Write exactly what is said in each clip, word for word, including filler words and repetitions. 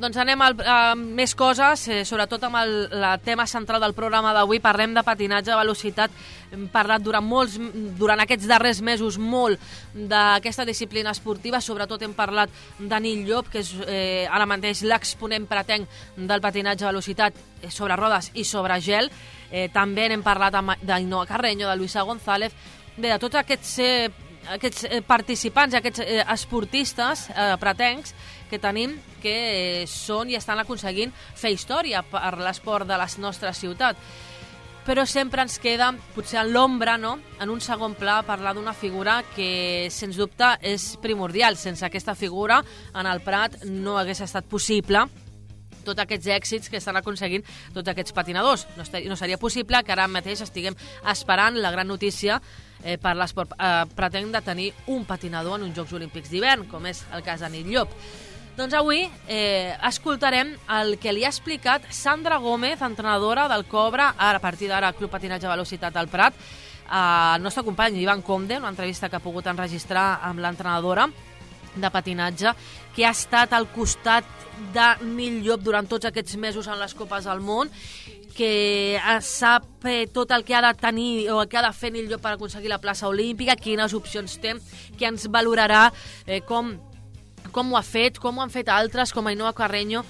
Doncs anem a, a més coses, eh, sobretot amb el la tema central del programa d'avui. Parlem de patinatge de velocitat. Hem parlat durant, molts, durant aquests darrers mesos molt d'aquesta disciplina esportiva. Sobretot hem parlat de Nil Llop, que és eh, ara mateix l'exponent pretenc del patinatge de velocitat sobre rodes i sobre gel. Eh, també n'hem parlat d'Ainhoa Carreño, de Luisa González, bé, de tots aquests, eh, aquests participants, aquests eh, esportistes eh, pretencs que tenim, que eh, són i estan aconseguint fer història per l'esport de la nostra ciutat. Però sempre ens queda, potser en l'ombra, no?, en un segon pla, parlar d'una figura que, sens dubte, és primordial. Sense aquesta figura, en el Prat no hagués estat possible tots aquests èxits que estan aconseguint tots aquests patinadors. No, estaria, no seria possible que ara mateix estiguem esperant la gran notícia eh, per l'esport eh, pretenc de tenir un patinador en uns Jocs Olímpics d'hivern, com és el cas de Nil Llop. Doncs avui eh, escoltarem el que li ha explicat Sandra Gómez, entrenadora del Cobra, ara a partir d'ara Club Patinatge Velocitat al Prat, al nostre company Ivan Conde, una entrevista que ha pogut enregistrar amb l'entrenadora de patinatge, que ha estat al costat de Nil Llop durant tots aquests mesos en les Copes del Món, que sap eh, tot el que ha de tenir o el que ha de fer Nil Llop per aconseguir la plaça olímpica, quines opcions té, que ens valorarà eh, com com ho ha fet, com ho han fet altres, com Ainoa Carreño,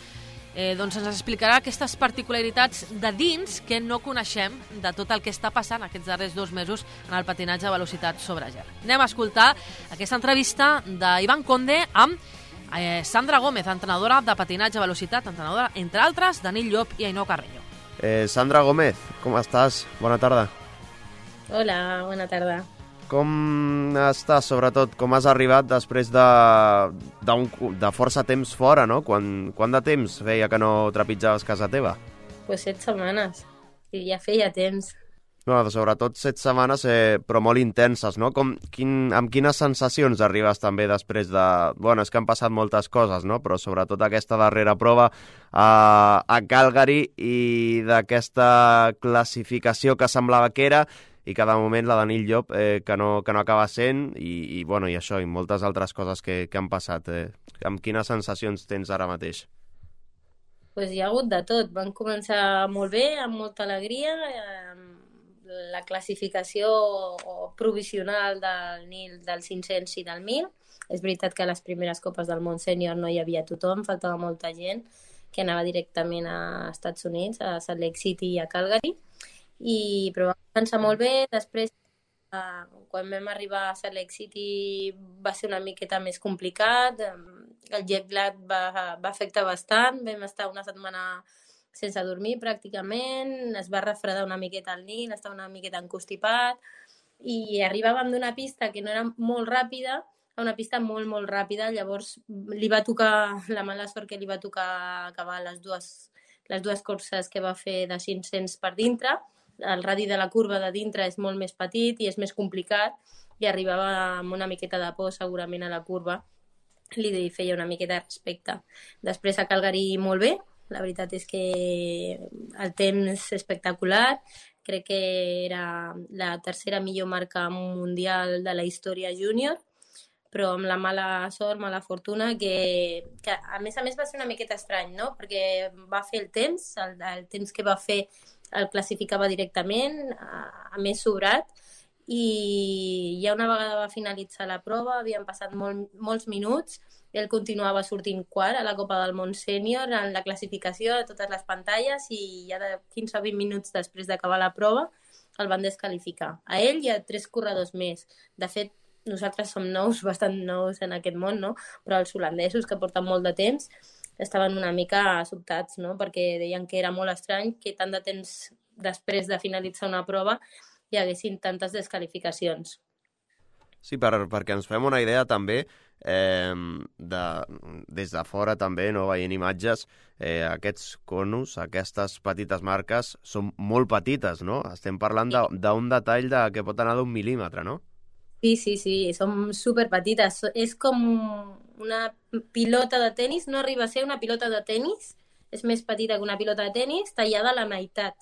eh, doncs ens explicarà aquestes particularitats de dins que no coneixem de tot el que està passant aquests darrers dos mesos en el patinatge de velocitat sobre gel. Anem a escoltar aquesta entrevista d'Ivan Conde amb eh, Sandra Gómez, entrenadora de patinatge de velocitat, entrenadora, entre altres, de Nil Llop i Ainoa Carreño. Eh, Sandra Gómez, com estàs? Bona tarda. Hola, bona tarda. Com estàs, sobretot? Com has arribat després de, de, un, de força temps fora, no? Quan, quant de temps feia que no trepitjaves casa teva? Pues set setmanes. I ja feia temps. No, sobretot set setmanes, eh, però molt intenses, no? Com, quin, amb quines sensacions arribes també després de... Bueno, és que han passat moltes coses, no? Però sobretot aquesta darrera prova a, a Calgary i d'aquesta classificació que semblava que era i que de moment la de Nil Llop eh, que, no, que no acaba sent i, i, bueno, i això, i moltes altres coses que, que han passat. Eh. Amb quines sensacions tens ara mateix? Pues hi ha hagut de tot. Van començar molt bé, amb molta alegria. Eh, la classificació provisional del Nil del cinc-cents i del mil. És veritat que a les primeres Copes del Món Sènior no hi havia tothom, faltava molta gent que anava directament a Estats Units, a Salt Lake City i a Calgary. I, però va començar molt bé. Després, eh, quan vam arribar a Salt Lake City va ser una miqueta més complicat, el jet lag va, va afectar bastant, vam estar una setmana sense dormir pràcticament, es va refredar una miqueta el Nil, estava una miqueta encostipat i arribàvem d'una pista que no era molt ràpida a una pista molt, molt ràpida. Llavors li va tocar, la mala sort que li va tocar acabar les dues, les dues curses que va fer de cinc-cents per dintre. El radi de la curva de dintre és molt més petit i és més complicat i arribava amb una miqueta de por segurament a la curva, li feia una miqueta de respecte. Després a Calgary molt bé, la veritat és que el temps espectacular, crec que era la tercera millor marca mundial de la història júnior, però amb la mala sort, mala fortuna, que, que a més a més va ser una miqueta estrany, no? Perquè va fer el temps, el, el temps que va fer el classificava directament, a, a més sobrat, i ja una vegada va finalitzar la prova, havien passat molt, molts minuts, ell continuava sortint quart a la Copa del Món Sènior en la classificació de totes les pantalles i ja de quinze o vint minuts després d'acabar la prova el van descalificar. A ell i a tres corredors més. De fet, nosaltres som nous, bastant nous en aquest món, no? Però els holandesos, que porten molt de temps, estaven una mica sobtats, no? Perquè deien que era molt estrany que tant de temps després de finalitzar una prova hi haguessin tantes desqualificacions. Sí, per, perquè ens fem una idea també, eh, de, des de fora també, no, veient imatges, eh, aquests conos, aquestes petites marques, són molt petites, no? Estem parlant d'un de, detall de, que pot anar d'un mil·límetre, no? Sí, sí, sí, són superpetites. És com una pilota de tennis, no arriba a ser una pilota de tennis, és més petita que una pilota de tennis, tallada a la meitat.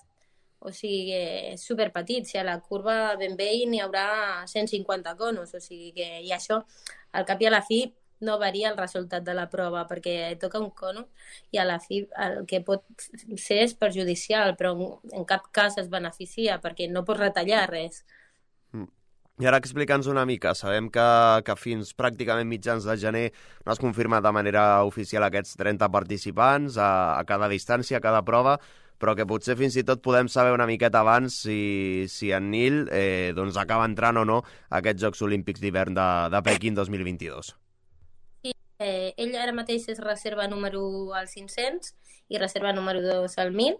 O sigui, és superpetit. Si a la curva ben bé n'hi haurà cent cinquanta conos. O sigui que, i això, al cap i a la fi, no varia el resultat de la prova, perquè toca un cono i a la fi el que pot ser és perjudicial, però en cap cas es beneficia, perquè no pots retallar res. Mm. I ara explica'ns una mica, sabem que, que fins pràcticament mitjans de gener no has confirmat de manera oficial aquests trenta participants a, a cada distància, a cada prova, però que potser fins i tot podem saber una miqueta abans si, si en Nil eh, doncs acaba entrant o no a aquests Jocs Olímpics d'hivern de, de Pequín dos mil vint-i-dos. Sí, eh, ell ara mateix és reserva número u al cinc-cents i reserva número dos al mil.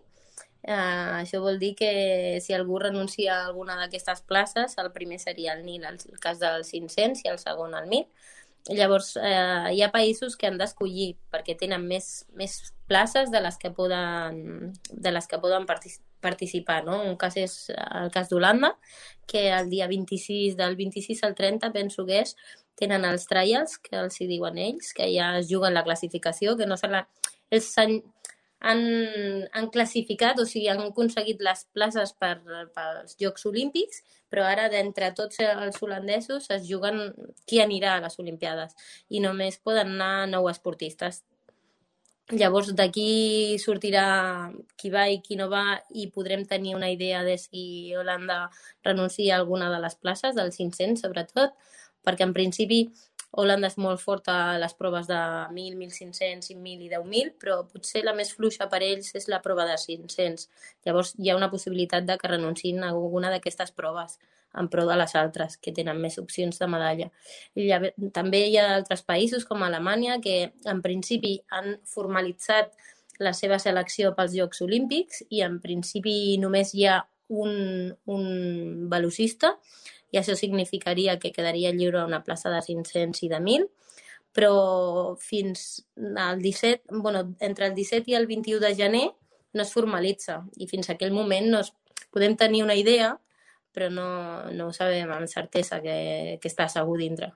Uh, això vol dir que si algú renuncia a alguna d'aquestes places, el primer seria el Nil, el cas del cinc-cents, i el segon el mil. Llavors, eh, hi ha països que han d'escollir perquè tenen més, més places de les que poden, de les que poden partic participar, no? Un cas és el cas d'Holanda, que el dia vint-i-sis, del vint-i-sis al trenta, penso que és, tenen els trials, que els hi diuen ells, que ja es juguen la classificació, que no se la... Ells han, han, han classificat, o sigui, han aconseguit les places per, pels Jocs Olímpics, però ara d'entre tots els holandesos es juguen qui anirà a les Olimpiades i només poden anar nou esportistes. Llavors d'aquí sortirà qui va i qui no va i podrem tenir una idea de si Holanda renuncia a alguna de les places, del cinc-cents sobretot, perquè en principi Holanda és molt forta a les proves de mil, mil cinc-cents, cinc mil i deu mil, però potser la més fluixa per ells és la prova de cinc-cents. Llavors hi ha una possibilitat de que renunciïn a alguna d'aquestes proves en pro de les altres, que tenen més opcions de medalla. I també hi ha altres països, com Alemanya, que en principi han formalitzat la seva selecció pels Jocs Olímpics i en principi només hi ha un, un velocista, i això significaria que quedaria lliure una plaça de cinc-cents i de mil, però fins al disset, bueno, entre el disset i el vint-i-u de gener no es formalitza i fins a aquell moment no es, podem tenir una idea, però no, no ho sabem amb certesa que, que està segur dintre.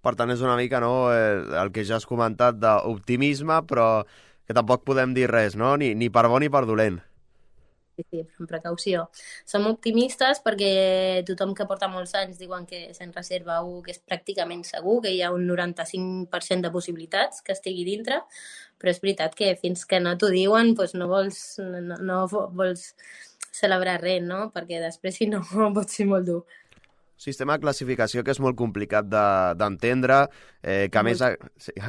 Per tant, és una mica no, el que ja has comentat d'optimisme, però que tampoc podem dir res, no? Ni, ni per bo ni per dolent. Sí, sí, amb precaució. Som optimistes perquè tothom que porta molts anys diuen que se'n reserva un que és pràcticament segur, que hi ha un noranta-cinc per cent de possibilitats que estigui dintre, però és veritat que fins que no t'ho diuen doncs no vols, no, no vols celebrar res, no? Perquè després si no pot ser molt dur. Sistema de classificació que és molt complicat d'entendre, de, eh, que a més a,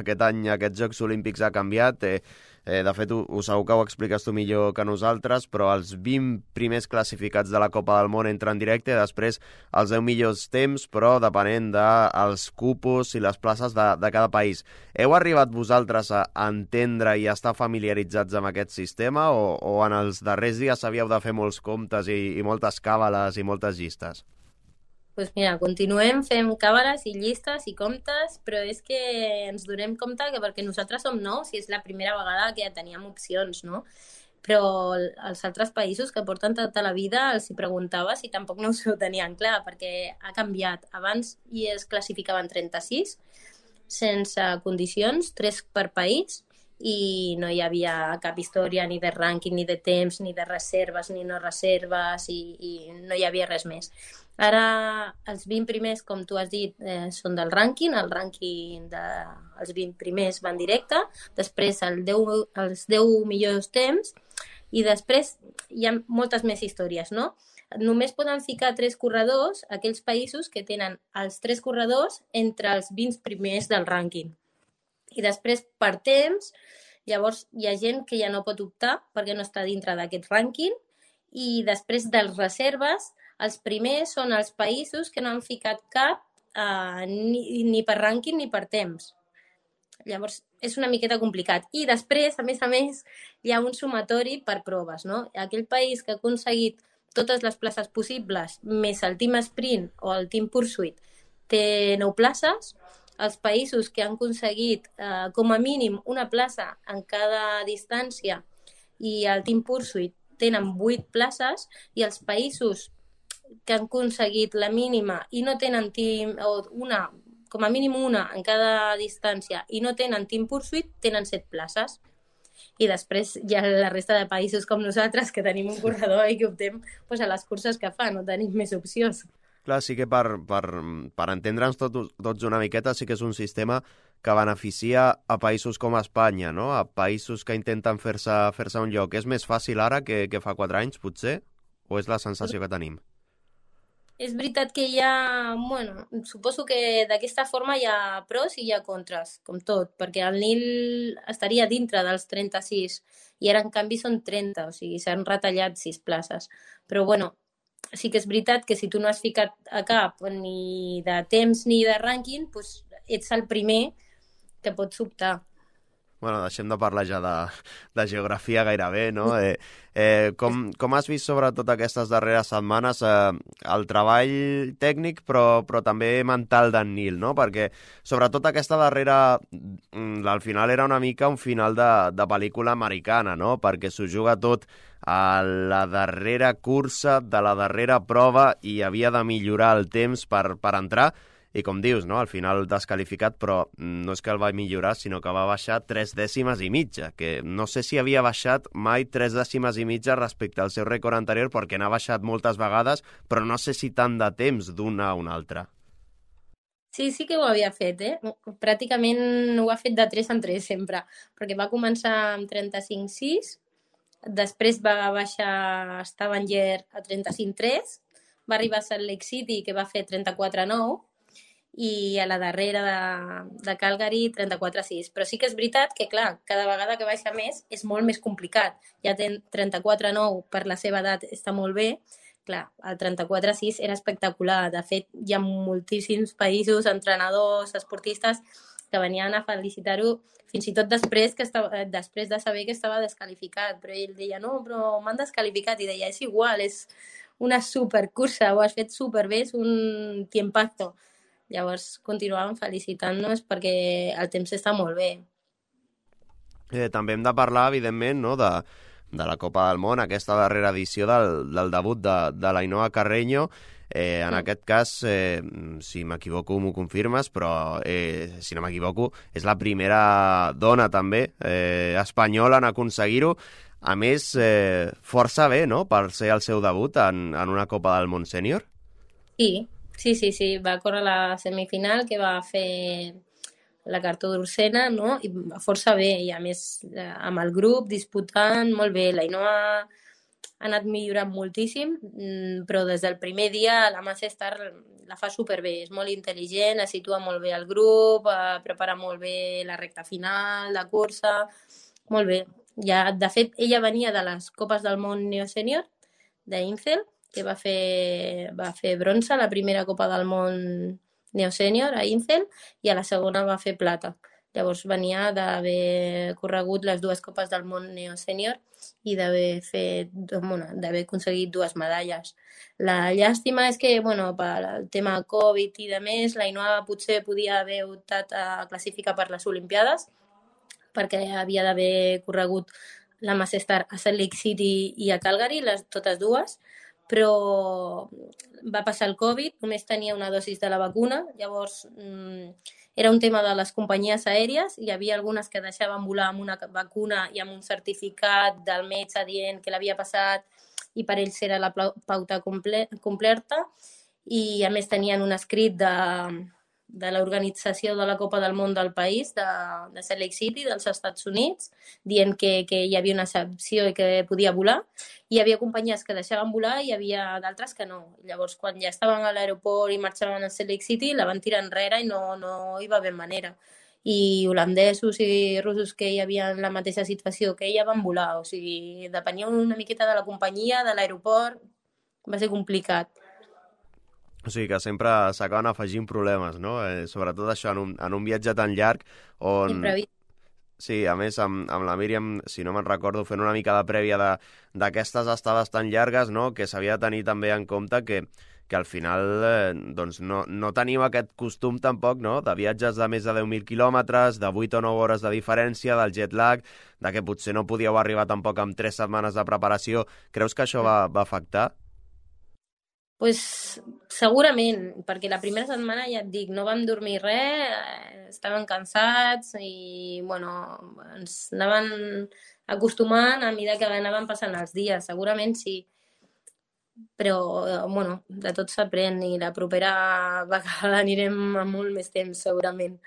aquest any aquests Jocs Olímpics ha canviat. Eh, eh, de fet, ho, ho segur que ho expliques tu millor que nosaltres, però els vint primers classificats de la Copa del Món entren directe, després els deu millors temps, però depenent dels cupos i les places de, de cada país. Heu arribat vosaltres a entendre i a estar familiaritzats amb aquest sistema o, o en els darrers dies havíeu de fer molts comptes i, i moltes càbales i moltes llistes? Doncs pues mira, continuem fent càbales i llistes i comptes, però és que ens donem compte que perquè nosaltres som nous i és la primera vegada que teníem opcions, no? Però els altres països que porten tota la vida els hi preguntava si tampoc no ho tenien clar, perquè ha canviat. Abans hi es classificaven trenta-sis sense condicions, tres per país, i no hi havia cap història ni de rànquing, ni de temps, ni de reserves, ni no reserves, i, i no hi havia res més. Ara els vint primers, com tu has dit, eh, són del rànquing, el rànquing dels de, vint primers van directe, després el deu, els deu millors temps, i després hi ha moltes més històries, no? Només poden ficar tres corredors aquells països que tenen els tres corredors entre els vint primers del rànquing. I després, per temps, llavors hi ha gent que ja no pot optar perquè no està dintre d'aquest rànquing, i després de les reserves, els primers són els països que no han ficat cap eh, ni, ni per rànquing ni per temps. Llavors, és una miqueta complicat. I després, a més a més, hi ha un sumatori per proves, no? Aquell país que ha aconseguit totes les places possibles, més el team sprint o el team pursuit, té nou places. Els països que han aconseguit eh, com a mínim una plaça en cada distància i el team pursuit tenen vuit places, i els països que han aconseguit la mínima i no tenen team, o una, com a mínim una en cada distància, i no tenen team pursuit, tenen set places. I després hi ha la resta de països com nosaltres que tenim un corredor i que optem pues, a les curses que fa, no tenim més opcions. Clar, sí que per, per, per entendre'ns tot, tots una miqueta, sí que és un sistema que beneficia a països com Espanya, no? A països que intenten fer-se fer-se un lloc. És més fàcil ara que, que fa quatre anys, potser? O és la sensació que tenim? És veritat que hi ha... Bueno, suposo que d'aquesta forma hi ha pros i hi ha contres, com tot, perquè el Nil estaria dintre dels trenta-sis i ara, en canvi, són trenta, o sigui, s'han retallat sis places. Però, bueno, sí que és veritat que si tu no has ficat a cap ni de temps ni de rànquing, doncs ets el primer que pots optar. Bueno, deixem de parlar ja de, de geografia gairebé, no? Eh, eh, com, com has vist sobretot aquestes darreres setmanes eh, el treball tècnic però, però també mental d'en Nil, no? Perquè sobretot aquesta darrera, al final era una mica un final de, de pel·lícula americana, no? Perquè s'ho juga tot a la darrera cursa de la darrera prova i havia de millorar el temps per, per entrar. I com dius, no? Al final descalificat, però no és que el va millorar, sinó que va baixar tres dècimes i mitja, que no sé si havia baixat mai tres dècimes i mitja respecte al seu rècord anterior, perquè n'ha baixat moltes vegades, però no sé si tant de temps d'una a una altra. Sí, sí que ho havia fet, eh? Pràcticament ho ha fet de tres en tres sempre, perquè va començar amb trenta-cinc sis, després va baixar a Stavanger a trenta-cinc tres, va arribar a Salt Lake City, que va fer trenta-quatre nou, i a la darrera de, de Calgary trenta-quatre sis. Però sí que és veritat que, clar, cada vegada que baixa més és molt més complicat. Ja té trenta-quatre nou, per la seva edat està molt bé. Clar, el trenta-quatre sis era espectacular. De fet, hi ha moltíssims països, entrenadors, esportistes, que venien a felicitar-ho fins i tot després, que estava, després de saber que estava descalificat. Però ell deia, no, però m'han descalificat. I deia, és igual, és una supercursa, ho has fet superbé, és un tiempazo. Llavors continuàvem felicitant-nos perquè el temps està molt bé. Eh, també hem de parlar, evidentment, no, de, de la Copa del Món, aquesta darrera edició del, del debut de, de l'Ainhoa Carreño. Eh, en sí. Aquest cas, eh, si m'equivoco m'ho confirmes, però eh, si no m'equivoco, és la primera dona també eh, espanyola en aconseguir-ho. A més, eh, força bé, no?, per ser el seu debut en, en una Copa del Món sènior. Sí, Sí, sí, sí, va córrer la semifinal que va fer la Cartó d'Ursena, no? I força bé, i a més amb el grup disputant molt bé. L'Ainhoa ha anat millorant moltíssim, però des del primer dia la Massa Star la fa superbé, és molt intel·ligent, es situa molt bé el grup, prepara molt bé la recta final, la cursa, molt bé. Ja, de fet, ella venia de les Copes del Món Neosènior, d'Incel, que va fer, va fer bronze a la primera Copa del Món Neosènior a Incel i a la segona va fer plata. Llavors venia d'haver corregut les dues Copes del Món Neosènior i d'haver fet, bueno, d'haver aconseguit dues medalles. La llàstima és que, bueno, pel tema Covid i de més, l'Ainhoa potser podia haver optat a classificar per les Olimpiades perquè havia d'haver corregut la Massa Star a Salt Lake City i a Calgary, les totes dues, però va passar el Covid, només tenia una dosis de la vacuna, llavors mmm, era un tema de les companyies aèries, hi havia algunes que deixaven volar amb una vacuna i amb un certificat del metge dient que l'havia passat i per ells era la pauta comple completa, i a més tenien un escrit de, de l'organització de la Copa del Món del país, de, de Salt Lake City, dels Estats Units, dient que, que hi havia una excepció i que podia volar. Hi havia companyies que deixaven volar i hi havia d'altres que no. Llavors, quan ja estaven a l'aeroport i marxaven a Salt Lake City, la van tirar enrere i no, no hi va haver manera. I holandesos i russos que hi havia en la mateixa situació que ella van volar. O sigui, depenia una miqueta de la companyia, de l'aeroport, va ser complicat. O sigui que sempre s'acaben afegint problemes, no? Eh, sobretot això, en un, en un viatge tan llarg on... Imprevist. Sí, a més, amb, amb la Míriam, si no me'n recordo, fent una mica de prèvia d'aquestes estades tan llargues, no?, que s'havia de tenir també en compte que, que al final eh, doncs no, no tenim aquest costum tampoc, no?, de viatges de més de deu mil quilòmetres, de vuit o nou hores de diferència, del jet lag, de que potser no podíeu arribar tampoc amb tres setmanes de preparació. Creus que això va, va afectar? Pues segurament, perquè la primera setmana, ja et dic, no vam dormir res, eh, estàvem cansats i, bueno, ens anaven acostumant a mesura que anaven passant els dies, segurament sí. Però, eh, bueno, de tot s'aprèn i la propera vegada anirem amb molt més temps, segurament.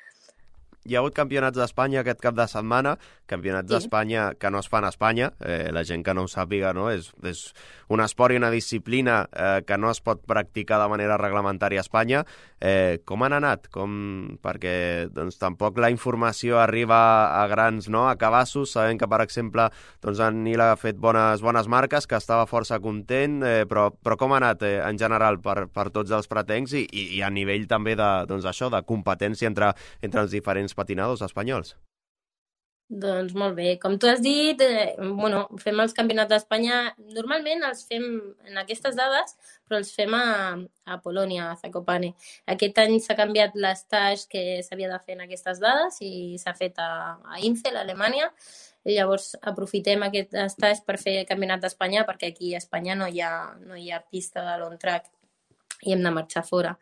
Hi ha hagut campionats d'Espanya aquest cap de setmana, campionats Sí. d'Espanya que no es fan a Espanya, eh, la gent que no ho sàpiga, no? És, és un esport i una disciplina eh, que no es pot practicar de manera reglamentària a Espanya. Eh, com han anat? Com... Perquè doncs, tampoc la informació arriba a grans, no? A cabassos, sabent que, per exemple, doncs, en Nil ha fet bones, bones marques, que estava força content, eh, però, però com ha anat eh, en general per, per tots els pretencs i, i, i a nivell també de, doncs, això, de competència entre, entre els diferents patinadors espanyols? Doncs molt bé. Com tu has dit, eh, bueno, fem els campionats d'Espanya. Normalment els fem en aquestes dades, però els fem a, a Polònia, a Zakopane. Aquest any s'ha canviat l'estatge que s'havia de fer en aquestes dades i s'ha fet a, a Insel, a Alemanya. I llavors aprofitem aquest estatge per fer el campionat d'Espanya, perquè aquí a Espanya no hi ha, no hi ha pista de long track i hem de marxar fora.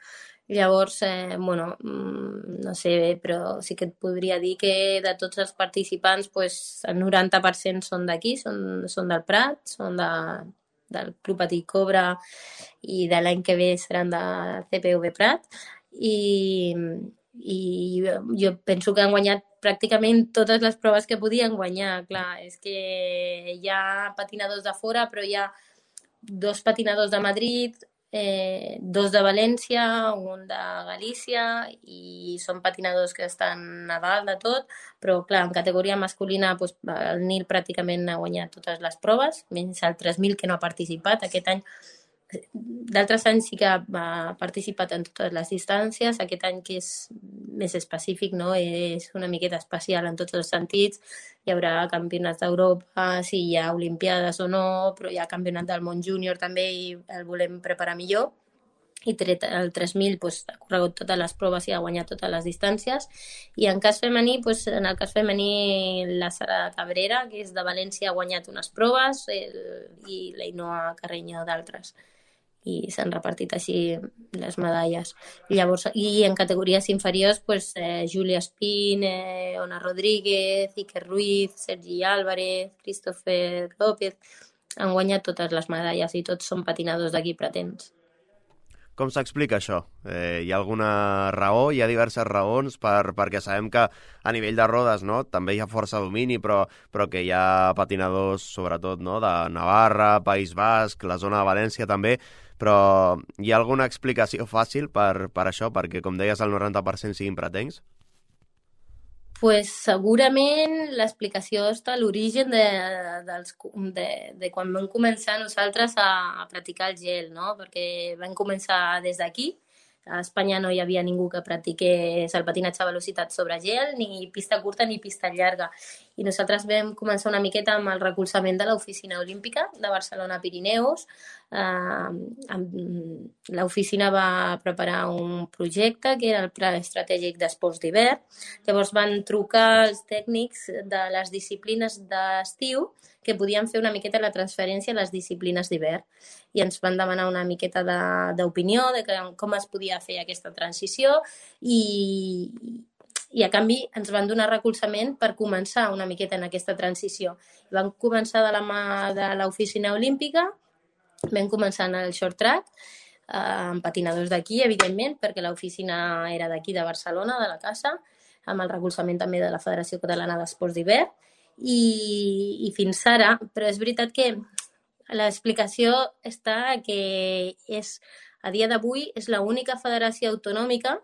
Llavors, eh, bueno, no sé, però sí que et podria dir que de tots els participants, pues, el noranta per cent són d'aquí, són, són del Prat, són de, del Club Patí Cobra i de l'any que ve seran de C P V Prat. I, i jo penso que han guanyat pràcticament totes les proves que podien guanyar. Clar, és que hi ha patinadors de fora, però hi ha dos patinadors de Madrid, Eh, dos de València, un de Galícia i són patinadors que estan a dalt de tot, però clar, en categoria masculina doncs, el Nil pràcticament ha guanyat totes les proves, menys el tres mil que no ha participat aquest any. D'altres anys sí que ha participat en totes les distàncies, aquest any que és més específic, no? És una miqueta especial en tots els sentits, hi haurà campionats d'Europa, si hi ha olimpiades o no, però hi ha campionat del món júnior també i el volem preparar millor. I tret el tres mil doncs, ha corregut totes les proves i ha guanyat totes les distàncies. I en cas femení, doncs, en el cas femení, la Sara Cabrera, que és de València, ha guanyat unes proves el, i l'Ainoa Carreño d'altres. I s'han repartit així les medalles. I llavors, i en categories inferiors, pues, eh, Júlia Espín, eh, Ona Rodríguez, Iker Ruiz, Sergi Álvarez, Christopher López, han guanyat totes les medalles i tots són patinadors d'aquí pretens. Com s'explica això? Eh, hi ha alguna raó? Hi ha diverses raons per, perquè sabem que a nivell de rodes, no, també hi ha força domini, però, però que hi ha patinadors, sobretot, no, de Navarra, País Basc, la zona de València també, però hi ha alguna explicació fàcil per, per això, perquè, com deies, el noranta per cent siguin pretencs? Pues segurament l'explicació està a l'origen de, dels, de, de quan vam començar nosaltres a, a practicar el gel, no? Perquè vam començar des d'aquí. A Espanya no hi havia ningú que practiqués el patinatge a velocitat sobre gel, ni pista curta ni pista llarga. I nosaltres vam començar una miqueta amb el recolzament de l'Oficina Olímpica de Barcelona Pirineus. Eh, l'oficina va preparar un projecte que era el Pla Estratègic d'Esports d'Hivern. Llavors van trucar els tècnics de les disciplines d'estiu que podien fer una miqueta la transferència a les disciplines d'hivern. I ens van demanar una miqueta d'opinió de, de com es podia fer aquesta transició i, i a canvi ens van donar recolzament per començar una miqueta en aquesta transició. Vam començar de la mà de l'Oficina Olímpica, vam començar en el short track, eh, amb patinadors d'aquí, evidentment, perquè l'oficina era d'aquí, de Barcelona, de la casa, amb el recolzament també de la Federació Catalana d'Esports d'Hivern, i, i fins ara, però és veritat que l'explicació està que és, a dia d'avui és l'única federació autonòmica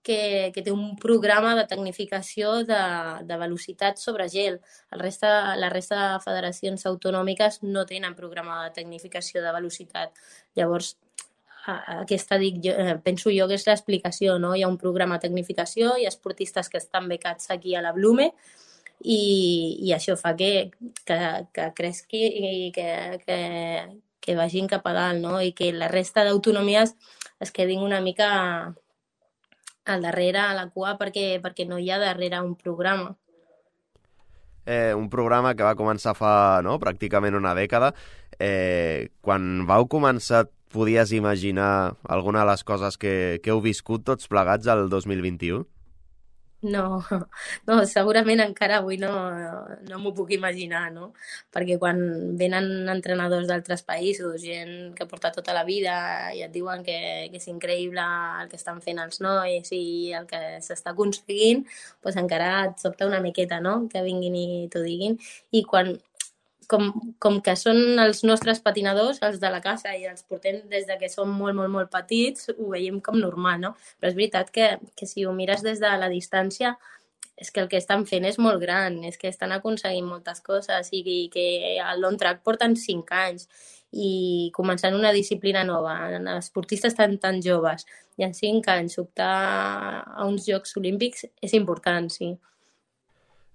que, que té un programa de tecnificació de, de velocitat sobre gel. El resta, la resta de federacions autonòmiques no tenen programa de tecnificació de velocitat. Llavors, aquesta dic, jo, penso jo que és l'explicació, no? Hi ha un programa de tecnificació, hi ha esportistes que estan becats aquí a la Blume, i, i això fa que, que, que cresqui i que, que, que vagin cap a dalt, no? I que la resta d'autonomies es quedin una mica al darrere, a la cua, perquè, perquè no hi ha darrere un programa. Eh, un programa que va començar fa, no?, pràcticament una dècada. Eh, quan vau començar podies imaginar alguna de les coses que, que heu viscut tots plegats el dos mil vint-i-u? No, no, segurament encara avui no, no m'ho puc imaginar, no? Perquè quan venen entrenadors d'altres països, gent que porta tota la vida i et diuen que, que és increïble el que estan fent els nois i el que s'està aconseguint, doncs encara et sobta una miqueta, no?, que vinguin i t'ho diguin. I quan, com, com que són els nostres patinadors, els de la casa, i els portem des de que som molt, molt, molt petits, ho veiem com normal, no? Però és veritat que, que si ho mires des de la distància, és que el que estan fent és molt gran, és que estan aconseguint moltes coses i, i que al long track porten cinc anys i començant una disciplina nova, els esportistes tan, tan joves, i en cinc anys optar a uns Jocs Olímpics és important, sí.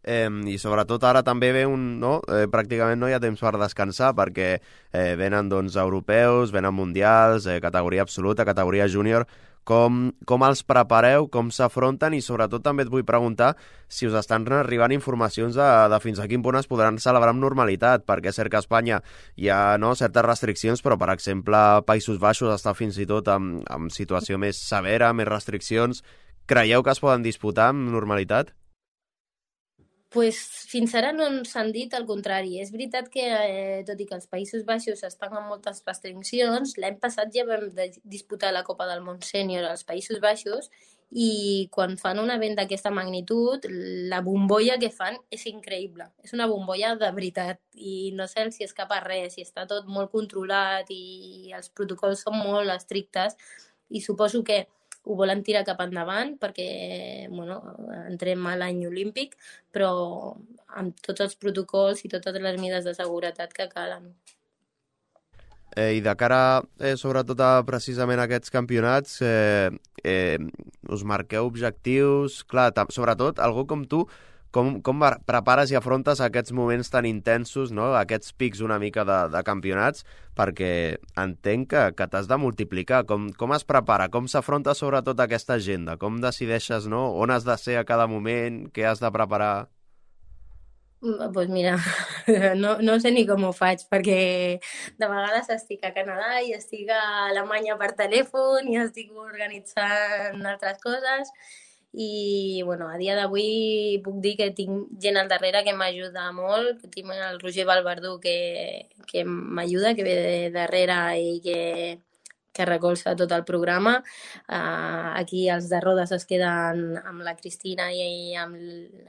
Eh, I sobretot ara també ve un... No? Eh, pràcticament no hi ha temps per descansar perquè eh, venen doncs, europeus, venen mundials, eh, categoria absoluta, categoria júnior. Com, com els prepareu, com s'afronten i sobretot també et vull preguntar si us estan arribant informacions de, de fins a quin punt es podran celebrar amb normalitat, perquè és cert que a Espanya hi ha no, certes restriccions, però per exemple Països Baixos està fins i tot en, en situació més severa, més restriccions. Creieu que es poden disputar amb normalitat? Pues fins ara no ens han dit el contrari. És veritat que, eh, tot i que els Països Baixos estan amb moltes restriccions, l'any passat ja vam de disputar la Copa del Món Sènior als Països Baixos i quan fan un event d'aquesta magnitud, la bombolla que fan és increïble. És una bombolla de veritat i no se'ls si escapa res, i està tot molt controlat i els protocols són molt estrictes i suposo que ho volen tirar cap endavant perquè bueno, entrem a l'any olímpic, però amb tots els protocols i totes les mesures de seguretat que calen. Eh, I de cara, eh, sobretot a precisament aquests campionats, eh, eh, us marqueu objectius... Clar, sobretot, algú com tu, com, com prepares i afrontes aquests moments tan intensos, no? Aquests pics una mica de, de campionats, perquè entenc que, que t'has de multiplicar. Com, com es prepara? Com s'afronta sobretot aquesta agenda? Com decideixes, no? On has de ser a cada moment? Què has de preparar? Doncs pues mira, no, no sé ni com ho faig, perquè de vegades estic a Canadà i estic a Alemanya per telèfon i estic organitzant altres coses. I bueno, a dia d'avui puc dir que tinc gent al darrere que m'ajuda molt, que tinc el Roger Valverdú que, que m'ajuda, que ve de darrere i que, que recolza tot el programa. Uh, aquí els de Rodes es queden amb la Cristina i amb,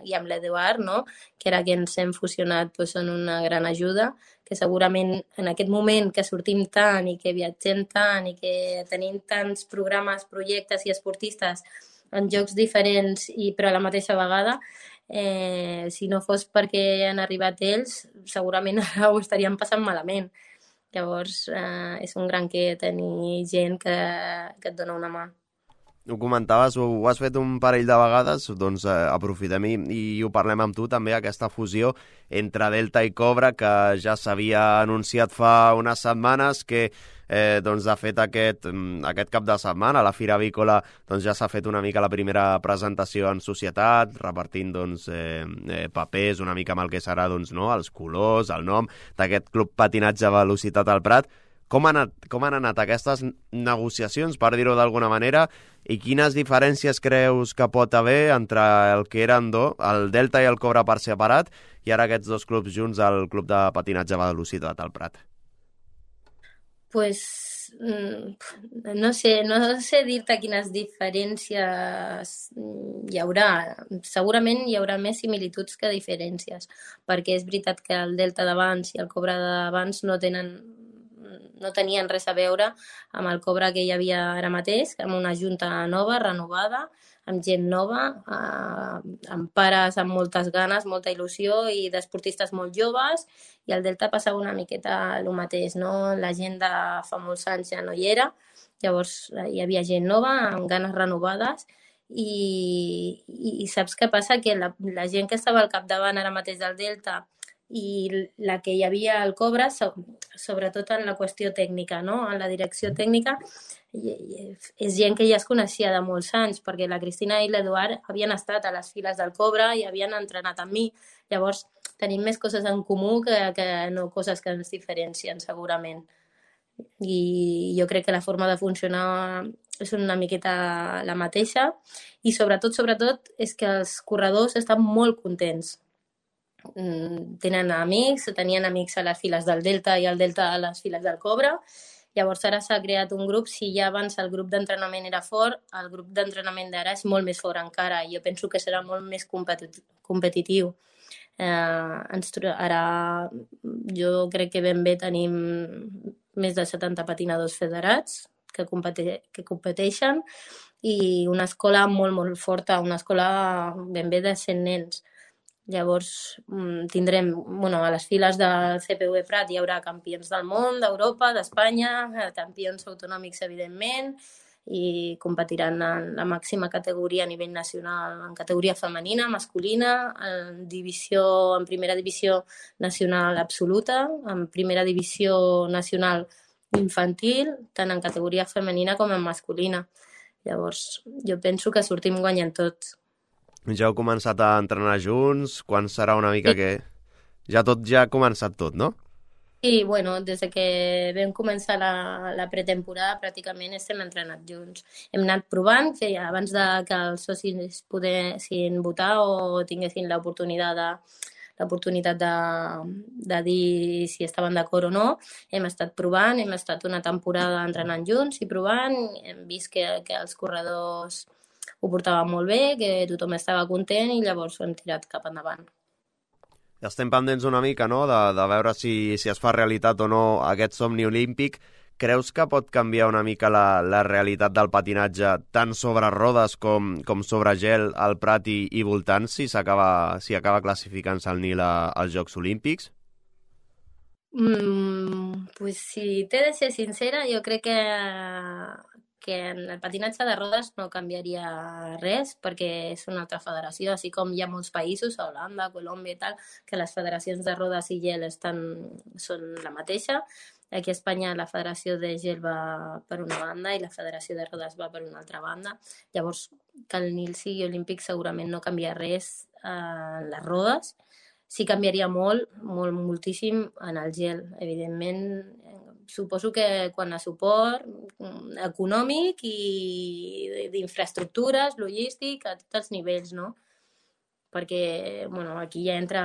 i amb l'Eduard, no? Que ara que ens hem fusionat doncs són una gran ajuda, que segurament en aquest moment que sortim tant i que viatgem tant i que tenim tants programes, projectes i esportistes en jocs diferents i però a la mateixa vegada, eh, si no fos perquè han arribat ells, segurament ara ho estaríem passant malament. Llavors, eh, és un gran que tenir gent que, que et dona una mà. Ho comentaves, ho, ho has fet un parell de vegades, doncs eh, aprofitem i, i ho parlem amb tu també, aquesta fusió entre Delta i Cobra, que ja s'havia anunciat fa unes setmanes, que eh, doncs, de fet aquest, aquest cap de setmana a la Fira Avícola doncs, ja s'ha fet una mica la primera presentació en societat, repartint doncs, eh, eh, papers una mica amb el que serà doncs, no? Els colors, el nom d'aquest club patinatge velocitat al Prat. Com han, anat, com han anat aquestes negociacions, per dir-ho d'alguna manera, i quines diferències creus que pot haver entre el que eren do, el Delta i el Cobra per separat, i ara aquests dos clubs junts al club de patinatge velocitat al Prat? Pues no sé, no sé dir-te quines diferències hi haurà. Segurament hi haurà més similituds que diferències, perquè és veritat que el Delta d'abans i el Cobra d'abans no tenen no tenien res a veure amb el Cobra que hi havia ara mateix, amb una junta nova, renovada, amb gent nova, eh, amb pares amb moltes ganes, molta il·lusió i d'esportistes molt joves, i el Delta passava una miqueta el mateix, no? La gent de fa molts anys ja no hi era, llavors hi havia gent nova amb ganes renovades i, i, i saps què passa? Que la, la gent que estava al capdavant ara mateix del Delta i la que hi havia al Cobra, sobretot en la qüestió tècnica, no? En la direcció tècnica, és gent que ja es coneixia de molts anys, perquè la Cristina i l'Eduard havien estat a les files del Cobra i havien entrenat amb mi. Llavors, tenim més coses en comú que, que no coses que ens diferencien, segurament. i jo crec que la forma de funcionar és una miqueta la mateixa i sobretot, sobretot, és que els corredors estan molt contents. Tenen amics, tenien amics a les files del Delta i al Delta a les files del Cobra. Llavors ara s'ha creat un grup, si ja abans el grup d'entrenament era fort, el grup d'entrenament d'ara és molt més fort encara i jo penso que serà molt més competitiu. Eh, ens, ara jo crec que ben bé tenim més de setanta patinadors federats que, compete, que competeixen i una escola molt, molt forta, una escola ben bé de cent nens. Llavors tindrem, bueno, a les files del C P V Prat hi haurà campions del món, d'Europa, d'Espanya, campions autonòmics, evidentment, i competiran en la màxima categoria a nivell nacional, en categoria femenina, masculina, en, divisió, en primera divisió nacional absoluta, en primera divisió nacional infantil, tant en categoria femenina com en masculina. Llavors, jo penso que sortim guanyant tots. Ja heu començat a entrenar junts? Quan serà una mica sí. que... Ja tot ja ha començat tot, no? Sí, bueno, des que vam començar la, la pretemporada pràcticament estem entrenant junts. Hem anat provant, que abans de que els socis poguessin votar o tinguessin l'oportunitat de, l'oportunitat de, de dir si estaven d'acord o no, hem estat provant, hem estat una temporada entrenant junts i provant, hem vist que, que els corredors ho portava molt bé, que tothom estava content i llavors ho hem tirat cap endavant. Ja estem pendents una mica, no?, de, de veure si, si es fa realitat o no aquest somni olímpic. Creus que pot canviar una mica la, la realitat del patinatge tant sobre rodes com, com sobre gel al Prat i, i voltants si s'acaba si acaba classificant-se el Nil a, als Jocs Olímpics? Mm, pues si t'he de ser sincera, jo crec que que en el patinatge de rodes no canviaria res perquè és una altra federació, així com hi ha molts països, a Holanda, Colòmbia i tal, que les federacions de rodes i gel estan, són la mateixa. Aquí a Espanya la federació de gel va per una banda i la federació de rodes va per una altra banda. Llavors, que el Nil sigui olímpic segurament no canvia res en les rodes. Sí canviaria molt, molt, moltíssim en el gel, evidentment. Suposo que quan a suport econòmic i d'infraestructures, logístic, a tots els nivells, no? Perquè, bueno, aquí ja entra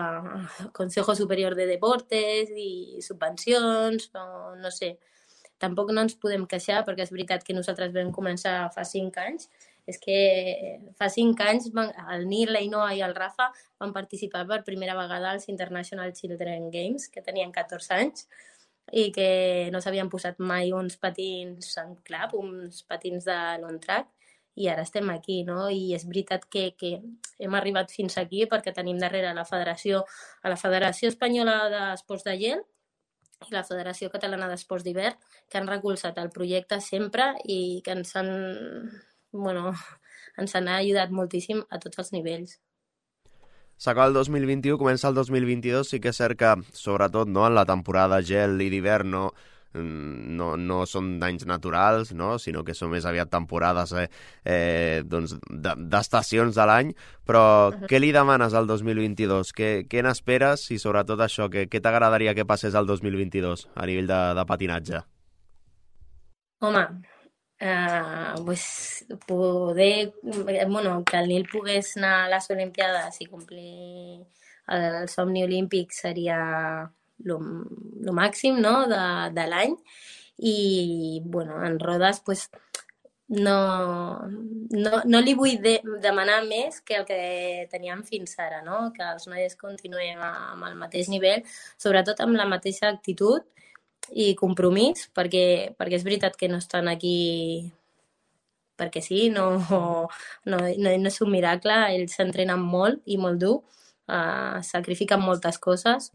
el Consejo Superior de Deportes i subvencions, o no sé. Tampoc no ens podem queixar, perquè és veritat que nosaltres vam començar fa cinc anys. És que fa cinc anys el Nil, l'Ainoa i el Rafa van participar per primera vegada als International Children Games, que tenien catorze anys, i que no s'havien posat mai uns patins en clap, uns patins de long track, i ara estem aquí, no? I és veritat que, que hem arribat fins aquí perquè tenim darrere la Federació, a la Federació Espanyola d'Esports de Gel i la Federació Catalana d'Esports d'Hivern, que han recolzat el projecte sempre i que ens han, bueno, ens han ajudat moltíssim a tots els nivells. S'acaba el dos mil vint-i-u, comença el dos mil vint-i-dos, sí que és cert que, sobretot, no, en la temporada gel i d'hivern no, no, no són danys naturals, no, sinó que són més aviat temporades eh, eh, doncs, d'estacions de l'any, però uh-huh. Què li demanes al dos mil vint-i-dos? Què, què n'esperes i, sobretot, això, què, què t'agradaria que passés al dos mil vint-i-dos a nivell de, de patinatge? Home, Uh, pues poder, bueno, que el Nil pogués anar a les Olimpiades i complir el, el somni olímpic seria el màxim, no?, de, de l'any. I, bueno, en rodes, pues, no, no, no li vull de, demanar més que el que teníem fins ara, no?, que els noies continuem amb el mateix nivell, sobretot amb la mateixa actitud i compromís, perquè, perquè és veritat que no estan aquí perquè sí, no, no, no, no és un miracle, ells s'entrenen molt i molt dur, uh, sacrifiquen moltes coses,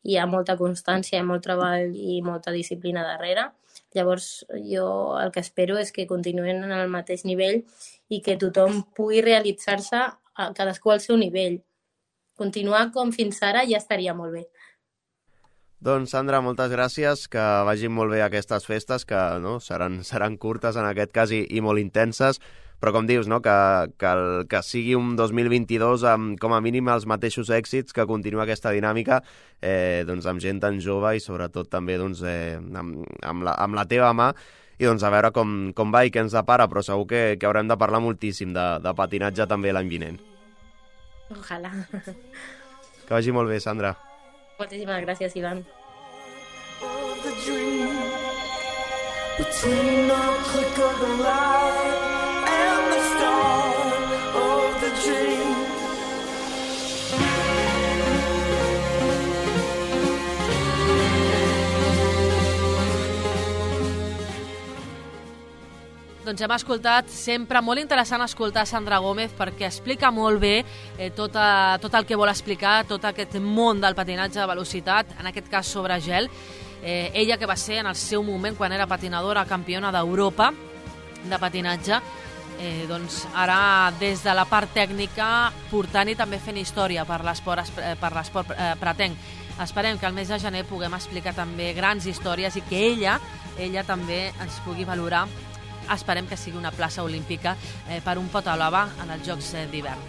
hi ha molta constància, hi ha molt treball i molta disciplina darrere. Llavors jo el que espero és que continuïn en el mateix nivell i que tothom pugui realitzar-se a cadascú al seu nivell. Continuar com fins ara ja estaria molt bé. Doncs, Sandra, moltes gràcies, que vagin molt bé aquestes festes, que no, seran, seran curtes en aquest cas i, i molt intenses, però com dius, no? que, que, el, que sigui un dos mil vint-i-dos amb com a mínim els mateixos èxits, que continua aquesta dinàmica eh, doncs amb gent tan jove i sobretot també doncs, eh, amb, amb, la, amb la teva mà, i doncs a veure com, com va i què ens depara, però segur que, que haurem de parlar moltíssim de, de patinatge també l'any vinent. Ojalà. Que vagi molt bé, Sandra. Moltíssimes gràcies, Ivan. Between the click of the light and the start of the dream. Doncs hem escoltat, sempre molt interessant escoltar Sandra Gómez perquè explica molt bé eh, tot, a, tot el que vol explicar, tot aquest món del patinatge de velocitat, en aquest cas sobre gel. Eh, ella que va ser en el seu moment, quan era patinadora, campiona d'Europa de patinatge, eh, doncs ara des de la part tècnica portant i també fent història per l'esport per l'esport eh, pretenc. Esperem que al mes de gener puguem explicar també grans històries i que ella, ella també ens pugui valorar. Esperem que sigui una plaça olímpica eh, per un pot a l'ova en els Jocs eh, d'hivern.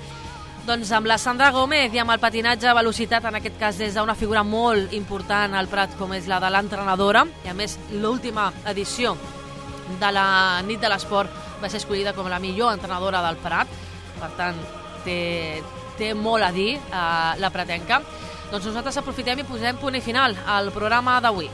Doncs amb la Sandra Gómez i amb el patinatge a velocitat, en aquest cas des d'una figura molt important al Prat com és la de l'entrenadora, i a més l'última edició de la nit de l'esport va ser escollida com la millor entrenadora del Prat, per tant té, té molt a dir eh, la pratenca. Doncs nosaltres aprofitem i posem punt i final al programa d'avui.